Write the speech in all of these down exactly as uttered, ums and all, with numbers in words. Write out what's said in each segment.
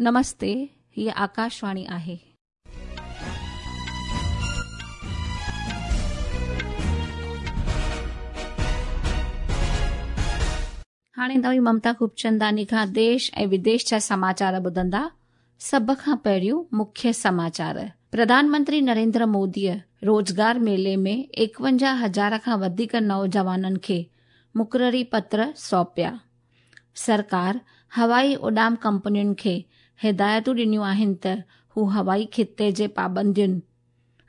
नमस्ते, हीअ आकाशवाणी आहे. हाणे तव्हीं ममता खूबचंदानी खां देश ऐं विदेश जा समाचार ॿुधंदा. सभ खां पहिरियों मुख्य समाचार. प्रधानमंत्री नरेंद्र मोदीअ रोज़गार मेले में एकवंजाह हज़ार खां वधीक नौजवाननि खे मुक़ररी पत्र सौंपिया. सरकार हवाई उॾाम कंपनियुनि खे हिदायतूं ॾिनियूं आहिनि त हू हवाई ख़िते जे पाबंदियुनि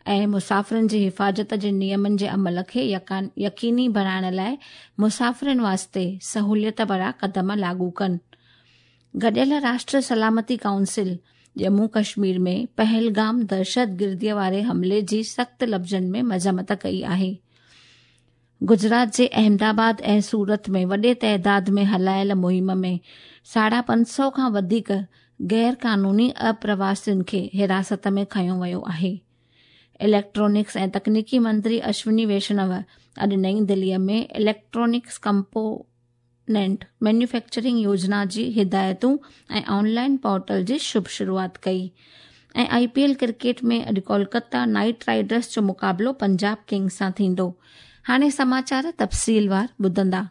ऐं मुसाफ़िरनि जी हिफ़ाज़त जे नियमनि जे अमल खे यकीनी बणाइण लाइ मुसाफ़िरनि वास्ते सहूलियत भरा क़दम लागू कनि. गॾियल राष्ट्र सलामती काउंसिल जम्मू कश्मीर में पहलगाम दहशतगिर्दीअ वारे हमले जी सख़्त लफ़्ज़नि में मज़म्मत कई आहे. गुजरात जे अहमदाबाद ऐं सूरत में वॾे तादाद में हलायल मुहिम में साढा पंज सौ खां वधीक गैर क़ानूनी अप्रवासियुनि खे हिरासत में खयो वियो आहे. इलेक्ट्रॉनिक्स ऐं तकनीकी मंत्री अश्विनी वैष्णव अॼु नई दिल्लीअ में इलेक्ट्रॉनिक्स कंपोनेंट मैन्युफैक्चरिंग योजना जी हिदायतूं ऐं ऑनलाइन पोर्टल जी शुभ शुरुआत कई. ऐं I P L cricket में अॼु कोलकाता नाइट राइडर्स जो मुक़ाबिलो पंजाब किंग्स सां थींदो. हाणे समाचार तफ़सीलवार ॿुधंदा.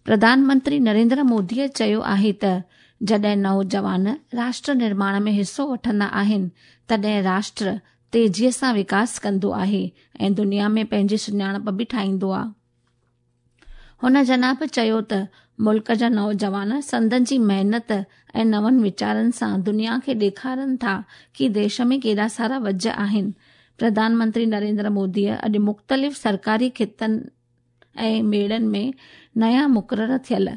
प्रधानमंत्री नरेंद्र मोदीअ चयो आहे त जॾहिं नौजवान राष्ट्र निर्माण में हिसो वठंदा आहिनि तॾहिं राष्ट्र तेज़ीअ सां विकास कंदो आहे ऐं दुनिया में पंहिंजी सुञाणप बि ठाहींदो आहे. हुन जनाब चयो त मुल्क जा नौजवान संदन जी महिनत ऐं नवनि वीचारनि सां दुनिया खे ॾेखारनि था की देश में केॾा सारा वज आहिनि. प्रधानमंत्री नरेंद्र मोदीअ अॼु मुख़्तलिफ़ सरकारी ख़ितनि ऐं मेड़नि में नया मुक़ररु थियल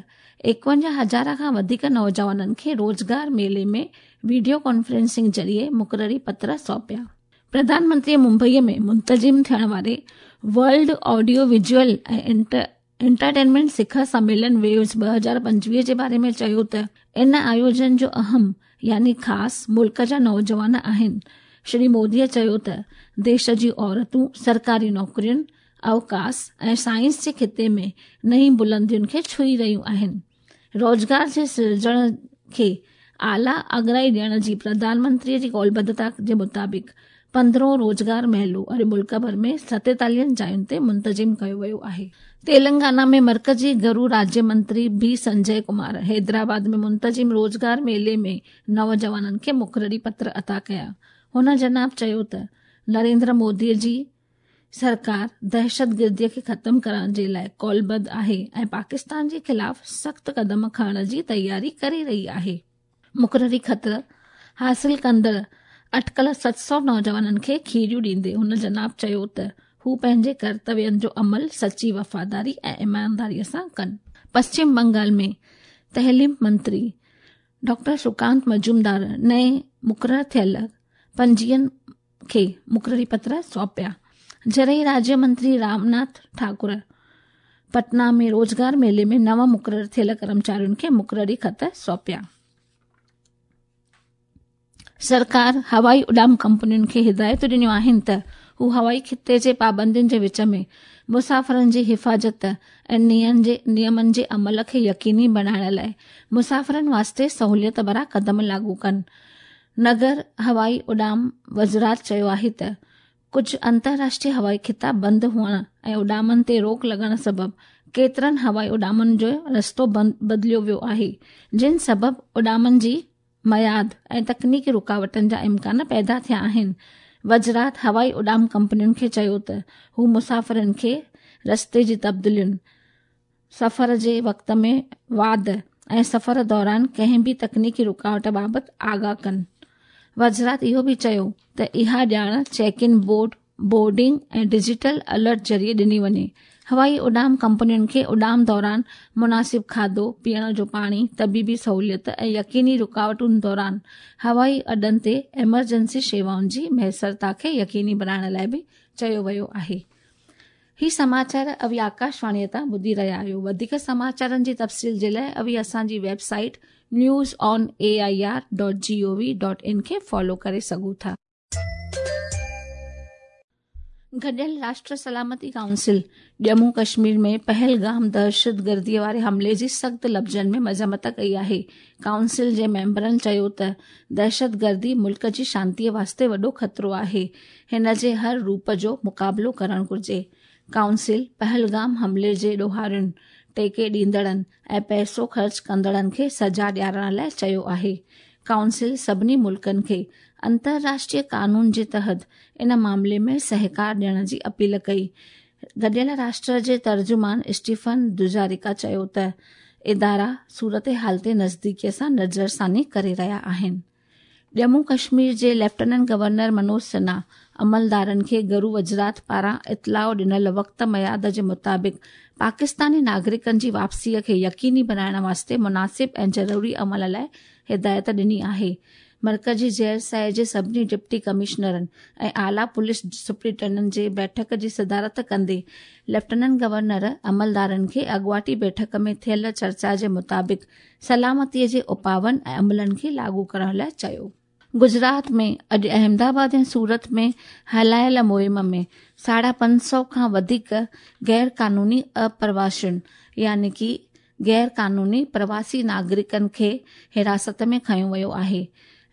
एकवंजाह हज़ार खां वधीक नौजवाननि खे रोज़गार मेले में वीडियो कॉन्फ्रेंसिंग ज़रिए मुक़ररी पत्र सौंपिया. प्रधानमंत्रीअ मुंबईअ में मुंतज़िम थियण वारे वर्ल्ड ऑडियो विजुअल ऐं इंटर एंटरटेनमेंट शिखर सम्मेलन वेव्स ॿ हज़ार पंजवीह जे बारे में चयो त इन आयोजन जो अहम यानी ख़ासि मुल्क जा नौजवान आहिनि. श्री मोदीअ चयो त देश जी औरतूं सरकारी नौकरियुनि, अवकाश ऐं साइंस जे ख़िते में नई बुलंदियुनि खे छुई रहियूं आहिनि. रोज़गार जे सिरजण खे आला अगराई ॾियण जी प्रधानमंत्रीअ जी क़ौलबद्धता जे मुताबिक़ पंद्रहों रोज़गार मेलो अॼु मुल्क भर में सतेतालीहनि जायुनि ते मुंतज़िम कयो वियो आहे. तेलंगाना में मर्कज़ी घरू राज्य मंत्री बी संजय कुमार हैदराबाद में मुंतज़िम रोज़गार मेले में नौजवाननि खे मुक़ररी पत्र अता कया. हुन जनाब चयो त नरेंद्र मोदीअ जी सरकार दहशतगिर्दीअ खे ख़तमु करण जे लाइ क़ौलबद्ध आहे ऐं पाकिस्तान जे ख़िलाफ़ सख़्तु क़दम खणण जी तयारी करे रही आहे. मुक़ररी ख़त हासिल कंदड़ अटकल सत सौ नौजवाननि खे खीरियूं ॾींदे हुन जनाब चयो त हू पंहिंजे कर्तव्यनि जो अमल सची वफ़ादारी ऐं ईमानदारीअ सां कनि. पश्चिम बंगाल में तहलीम मंत्री डॉक्टर सुकांत मजूमदार नए मुक़ररु थियल पंजीयन खे मुक़ररी पत्र सौंपिया. ज़रई राज्य मंत्री रामनाथ ठाकुर पटना में रोज़गार मेले में नवां मुक़ररु थियल कर्मचारियुनि खे मुक़ररी ख़त सौंपिया. सरकार हवाई उॾाम कंपनियुनि खे हिदायतूं ॾिनियूं आहिनि त हू हवाई ख़िते जे पाबंदियुनि जे विच में मुसाफ़िरनि जी हिफ़ाज़त ऐं नियमनि जे अमल खे यकीनी बणाइण लाइ मुसाफ़िरनि वास्ते सहूलियत भरा क़दम लागू कनि. नगर हवाई उॾाम वज़ारत चयो आहे त कुझु अंतर्राष्ट्रीय हवाई ख़िता बंदि हुअण ऐं उॾामनि ते रोक लॻण सबबु केतिरनि हवाई उॾामनि जो रस्तो बदिलियो वियो आहे, जिन सबबु उॾामनि जी मयाद ऐं तकनीकी रुकावटनि जा इम्कान पैदा थिया आहिनि. वज़ारत हवाई उॾाम कंपनियुनि खे चयो त हू मुसाफ़िरनि खे रस्ते जी तब्दीलियुनि, सफ़र जे वक़्त में वाध ऐं सफ़र दौरान कंहिं बि तकनीकी रुकावट बाबति आगाह कनि. वज़ारत इहो बि चयो त इहा ॼाण चेक इन बोर्ड, बोर्डिंग ऐं डिजिटल अलर्ट ज़रिए ॾिनी वञे. हवाई उॾाम कंपनियुनि खे उॾाम दौरान मुनासिब खाधो, पीअण जो पाणी, तबीबी सहूलियत ऐं यकीनी रुकावटुनि दौरान हवाई अॾनि ते एमरजेंसी शेवाउनि जी मयसरता खे यकीनी बणाइण लाइ बि चयो वियो आहे. ही समाचार अवी आकाशवाणीअ तां ॿुधी रहिया आहियो. वधीक समाचारनि जी तफ़सील जे लाइ अवी असांजी website news on A I R dot G O V dot in खे फॉलो करे सघो था. گڏيل راشٽر سلامتي ڪائونسل ڄمون ڪشمير ۾ پهلگام دهشتگرديءَ واري حملي جي سخت لفظن ۾ مذمت ڪئي آهي. ڪائونسل جي ميمبرن چيو ته دهشتگردي ملڪ جي شانتيءَ واسطي وڏو خطرو آهي، هن جي هر روپ جو مقابلو ڪرڻ گهرجي. ڪائونسل پهلگام حملي جي ڏوهارين، ٽيڪي ڏيندڙن ۽ پئسو خرچ ڪندڙن کي سزا ڏيارڻ لاءِ چيو آهي. ڪائونسل سڀني ملڪن کي انترراشٽريه قانون جي تحت ان معاملي ۾ سهڪار ڏيڻ جي اپيل ڪئي. گڏيل راشٽر جي ترجمان اسٽيفن دوجارڪا چيو ته ادارا صورت حال تي نزديڪيءَ سان نظرثاني ڪري رهيا آهن. ڄمون ڪشمير جي ليفٽيننٽ گورنر منوج سنها عملدارن کي گهرو وزارت پاران اطلاع ڏنل وقت ميعاد جي مطابق پاڪستاني ناگرڪن جي واپسيءَ کي يقيني بڻائڻ واسطي مناسب ۽ ضروري عمل لاءِ هدايت ڏني آهي. مرڪزي زير سايه جي سڀني ڊپٽي ڪمشنرن ۽ اعليٰ پوليس سپرنٽينڊنٽن جي بيٺڪ جي صدارت ڪندي ليفٽيننٽ گورنر عملدارن کي اڳواٽي بيٺڪ ۾ ٿيل چرچا جي مطابق سلامتيءَ جي اپائن ۽ عملن کي لاڳو ڪرڻ لاءِ چيو. گجرات ۾ اڄ احمدآباد ۽ سورت ۾ هلايل مهم ۾ ساڍا پنج سؤ کان وڌيڪ غير قانوني اپرواسين يعني ڪه غير قانوني پرواسي ناگرڪن کي حراست ۾ کنيو ويو آهي.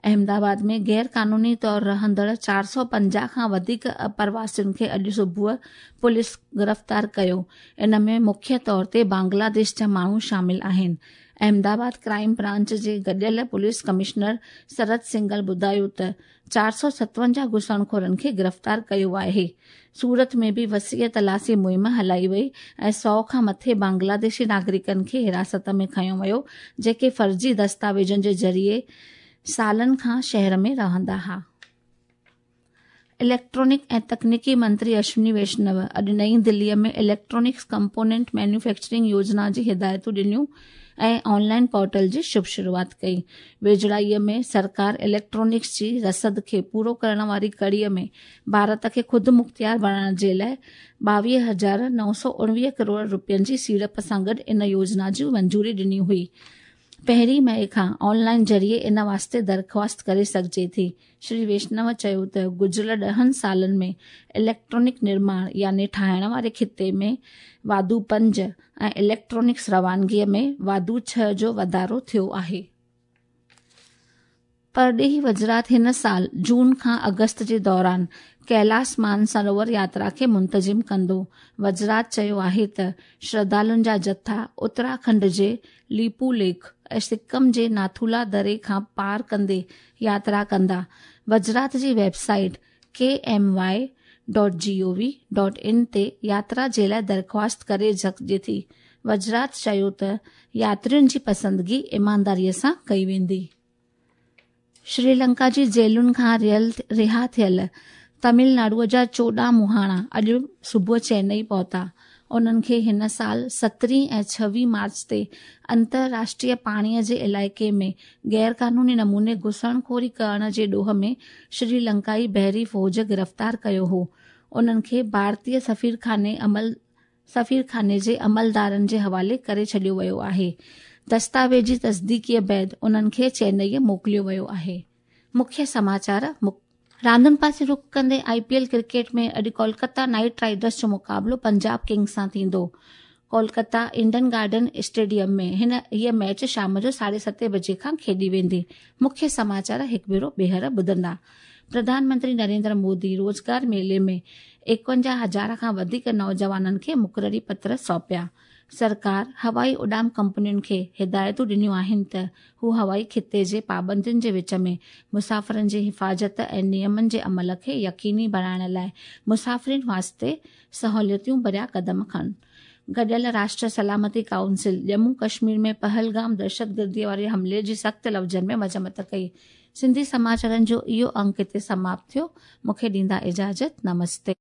احمدآباد ۾ غير قانوني طور رهندڙ چار سؤ پنجاهه کان وڌيڪ اپرواسين کي اڄ صبح پوليس گرفتار ڪيو. ان ۾ مکيه طور تي بنگلاديش جا ماڻهو شامل آهن. احمدآباد ڪرائيم برانچ جي گڏيل پوليس ڪمشنر سرت سنگل ٻڌايو ته چار سؤ ستونجاهه گهسڻخورن کي گرفتار ڪيو آهي. سورت ۾ به وسيع تلاشي مهم هلائي وئي ۽ سؤ کان مٿي بنگلاديشي ناگرڪن کي حراست ۾ کنيو ويو، جيڪي فرضي دستاويزن جي ذريعي سالن کان شهر ۾ رهندا هئا. اليڪٽرانڪ ۽ تڪنيڪي منتري اشوني ويشنو اڄ نئين دليءَ ۾ اليڪٽرانڪس ڪمپونينٽ مينوفيڪچرنگ يوجنا جي هدايتون ڏنيون ۽ آنلائن پورٽل جي شڀ شروعات ڪئي. ويجهڙائيءَ ۾ سرڪار اليڪٽرانڪس جي رسد کي پورو ڪرڻ واري ڪڙيءَ ۾ ڀارت کي خود مختيار بڻائڻ جي لاءِ ٻاويهه هزار نو سؤ اڻويهه ڪروڙ رپين جي سيڙپ سان گڏ ان يوجنا جي منظوري ڏني هئي. پهرين مئي کان آنلائن ذريعي ان واسطي درخواست ڪري سگهجي ٿي. شري ويشنو چيو ته گذريل ڏهن سالن ۾ اليڪٽرانڪ نرماڻ يعني ٺاهڻ واري خطي ۾ واڌو پنج ۽ اليڪٽرانڪس روانگيءَ ۾ واڌو ڇهه جو واڌارو ٿيو آهي. پرڏيهي وزارت هن سال جون کان اگست جي دوران ڪيلاش مانسروور ياترا کي منتظم ڪندو. وزارت چيو آهي ته شرڌالن جا جٿا اتراکنڊ جي ليپو ليک ۽ سڪم جي ناٿولا دري کان پار ڪندي ياترا ڪندا. وزارت جي website K M Y dot G O V dot in تي ياترا جي لاءِ درخواست ڪري سگهجي ٿي. وزارت چيو ته ياترين جي پسندگي ايمانداريءَ سان ڪئي ويندي. شري لنڪا جي جيلن کان رها ٿيل تامل ناڊوءَ جا چوڏهن مهاڻا اڄ صبح چنائي پهتا. انهن کي هن سال سترهين ۽ ڇويهه مارچ تي انترراشٽريه پاڻيءَ جي علائقي ۾ غير قانوني نموني گهسڻخوري ڪرڻ جي ڏوهه ۾ شري لنڪائي بحري فوج گرفتار ڪيو هو. انهن کي ڀارتيه سفيرخاني عمل سفيرخاني جي عملدارن جي حوالي ڪري ڇڏيو ويو آهي. دستاويزي تصديقيءَ بعد انهن کي چنائيءَ موڪليو ويو آهي. مکيه سماچار. راندن پاسي رخ ڪندي I P L cricket ۾ اڄ ڪولڪتا نائيٽ رائيڊرس جو مقابلو پنجاب ڪنگز سان ٿيندو. ڪولڪتا ايڊن گارڊن اسٽيڊيم ۾ هن هيءَ ميچ شام جو ساڍي ستين بجي کان کيڏي ويندي. مکيه سماچار هڪ ڀيرو ٻيهر ٻڌندا. پرڌان منتري نريندر مودي روزگار ميلي ۾ ايڪونجاهه هزار کان وڌيڪ نوجوانن کي مقرري پتر سونپيا. سرڪار هوائي اڏام ڪمپنين کي هدايتون ڏنيون آهن ته هو هوائي خطي جي پابندين جي وچ ۾ مسافرن جي حفاظت ۽ نيمن جي عمل کي يقيني بڻائڻ لاءِ مسافرن واسطي سهوليتون ڀريا قدم کڻن. گڏيل راشٽر سلامتي ڪائونسل ڄمون ڪشمير ۾ پهلگام دهشتگرديءَ واري حملي جي سخت لفظن ۾ مذمت ڪئي. سنڌي سماچارن جو اهو انڪ هتي سماپت ٿيو. مون کي ڏيندا اجازت. نمستي.